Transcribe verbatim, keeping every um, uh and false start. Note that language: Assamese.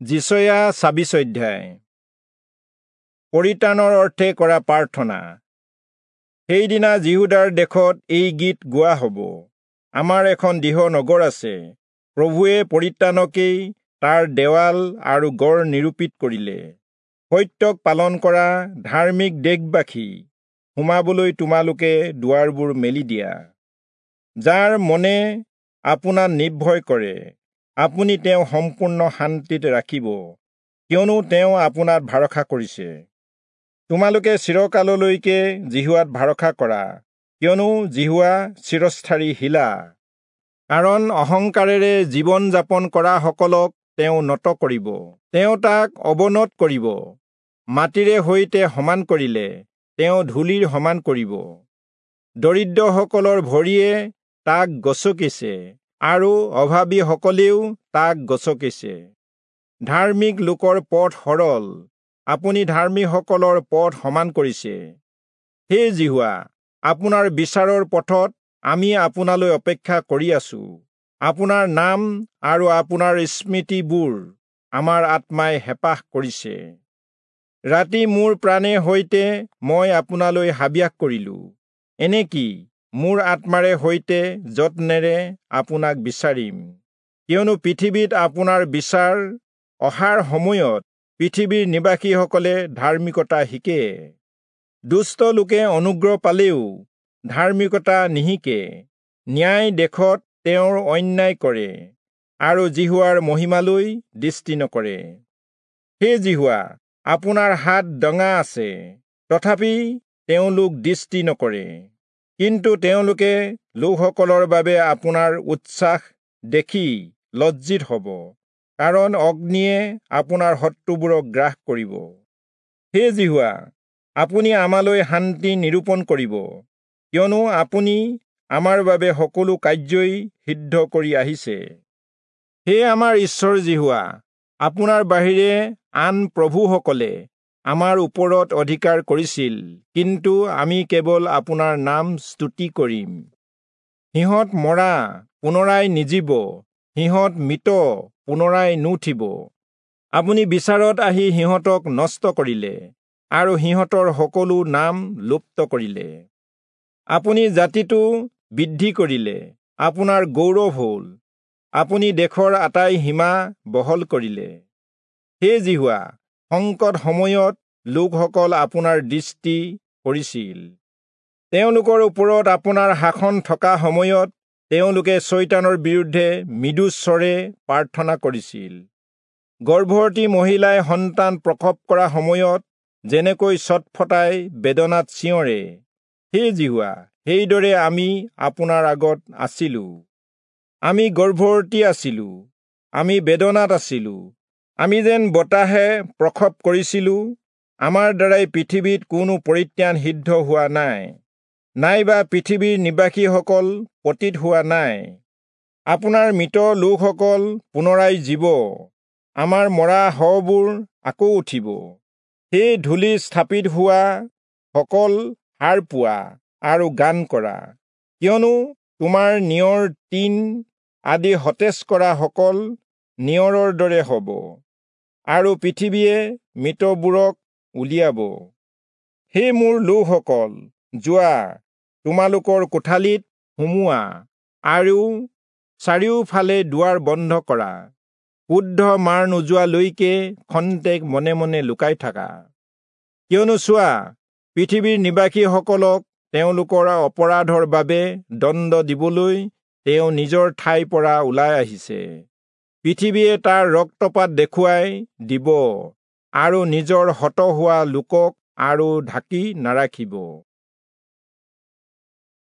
যিচয়া ছাব্বিছ অধ্যায়। পৰিত্ৰাণৰ অৰ্থে কৰা প্ৰাৰ্থনা। সেইদিনা যিহূদাৰ দেশত এই গীত গোৱা হ'ব, আমাৰ এখন দৃঢ় নগৰ আছে, প্ৰভুৱে পৰিত্ৰাণকেই তাৰ দেৱাল আৰু গড় নিৰূপিত কৰিলে। সত্যক পালন কৰা ধাৰ্মিক দেশবাসী, সোমাবলৈ তোমালোকে দুৱাৰবোৰ মেলি দিয়া। যাৰ মনে আপোনাক নিৰ্ভয় কৰে, আপুনি তেওঁ সম্পূৰ্ণ শান্তিত ৰাখিব, কিয়নো তেওঁ আপোনাত ভৰসা কৰিছে। তোমালোকে চিৰকাললৈকে যিহোৱাত ভৰসা কৰা, কিয়নো যিহোৱা চিৰস্থায়ী শিলা। কাৰণ অহংকাৰেৰে জীৱন যাপন কৰাসকলক তেওঁ নত কৰিব, তেওঁ তাক অৱনত কৰিব। মাটিৰে সৈতে সমান কৰিলে তেওঁ ধূলিৰ সমান কৰিব। দৰিদ্ৰসকলৰ ভৰিয়ে তাক গচকিছে আৰু অভাৱীসকলেও তাক গচকিছে। ধাৰ্মিক লোকৰ পথ সৰল, আপুনি ধাৰ্মিকসকলৰ পথ সমান কৰিছে। হে যিহোৱা, আপোনাৰ বিচাৰৰ পথত আমি আপোনালৈ অপেক্ষা কৰি আছো। আপোনাৰ নাম আৰু আপোনাৰ স্মৃতিবোৰ আমাৰ আত্মাই হেঁপাহ কৰিছে। ৰাতি মোৰ প্ৰাণে সৈতে মই আপোনালৈ হাবিয়াস কৰিলো, এনেকি মোৰ আত্মাৰে সৈতে যত্নেৰে আপোনাক বিচাৰিম। কিয়নো পৃথিৱীত আপোনাৰ বিচাৰ অহাৰ সময়ত পৃথিৱীৰ নিবাসীসকলে ধাৰ্মিকতা শিকে। দুষ্ট লোকে অনুগ্ৰহ পালেও ধাৰ্মিকতা নিশিকে। ন্যায় দেশত তেওঁৰ অন্যায় কৰে আৰু যিহোৱাৰ মহিমালৈ দৃষ্টি নকৰে। হে যিহোৱা, আপোনাৰ হাত দঙা আছে, তথাপি তেওঁলোক দৃষ্টি নকৰে। কিন্তু তেওঁলোকে লোকসকলৰ বাবে আপোনাৰ উচ্ছ্বাস দেখি লজ্জিত হ'ব, কাৰণ অগ্নিয়ে আপোনাৰ শত্ৰুবোৰক গ্ৰাস কৰিব। হে যিহোৱা, আপুনি আমালৈ শান্তি নিৰূপণ কৰিব, কিয়নো আপুনি আমাৰ বাবে সকলো কাৰ্যই সিদ্ধ কৰি আহিছে। হে আমাৰ ঈশ্বৰ যিহোৱা, আপোনাৰ বাহিৰে আন প্ৰভুসকলে আমাৰ ওপৰত অধিকাৰ কৰিছিল, কিন্তু আমি কেৱল আপোনাৰ নাম স্তুতি কৰিম। সিহঁত মৰা পুনৰাই নিজীব, সিহঁত মৃত পুনৰাই নুঠিব। আপুনি বিচাৰত আহি সিহঁতক নষ্ট কৰিলে আৰু সিহঁতৰ সকলো নাম লুপ্ত কৰিলে। আপুনি জাতিটো বৃদ্ধি কৰিলে, আপোনাৰ গৌৰৱ হ'ল, আপুনি দেশৰ আটাই সীমা বহল কৰিলে। হে যিহোৱা, সংকট সময়ত লোকসকল আপোনাৰ দৃষ্টি কৰিছিল। তেওঁলোকৰ ওপৰত আপোনাৰ শাসন থকা সময়ত তেওঁলোকে চয়তানৰ বিৰুদ্ধে মৃদু স্বৰে প্ৰাৰ্থনা কৰিছিল। গৰ্ভৱতী মহিলাই সন্তান প্ৰসৱ কৰা সময়ত যেনেকৈ ছটফটাই বেদনাত চিঞৰে, হে যিহোৱা, সেইদৰে আমি আপোনাৰ আগত আছিলো। আমি গৰ্ভৱতী আছিলো, আমি বেদনাত আছিলো, আমি যেন বতাহে প্ৰসৱ কৰিছিলো। আমাৰ দ্বাৰাই পৃথিৱীত কোনো পৰিত্ৰাণ সিদ্ধ হোৱা নাই, নাইবা পৃথিৱীৰ নিবাসীসকল পতিত হোৱা নাই। আপোনাৰ মৃত লোকসকল পুনৰাই জীৱ, আমাৰ মৰা শৱবোৰ আকৌ উঠিব। সেই ধূলি স্থাপিত হোৱা সকল সাৰ পোৱা আৰু গান কৰা, কিয়নো তোমাৰ নিয়ৰ টিন আদি সতেজ কৰা সকল নিয়ৰৰ দৰে হ'ব, আৰু পৃথিৱীয়ে মৃতবোৰক উলিয়াব। হে মোৰ লোকসকল, যোৱা, তোমালোকৰ কোঠালিত সোমোৱা আৰু চাৰিওফালে দুৱাৰ বন্ধ কৰা। ক্ৰোধ মাৰ নোযোৱালৈকে খন্তেক মনে মনে লুকাই থাকা। কিয়নো চোৱা, পৃথিৱীৰ নিবাসীসকলক তেওঁলোকৰ অপৰাধৰ বাবে দণ্ড দিবলৈ তেওঁ নিজৰ ঠাইৰ পৰা ওলাই আহিছে। পৃথিৱীয়ে তাৰ ৰক্তপাত দেখুৱাই দিব আৰু নিজৰ হত হোৱা লোকক আৰু ঢাকি নাৰাখিব।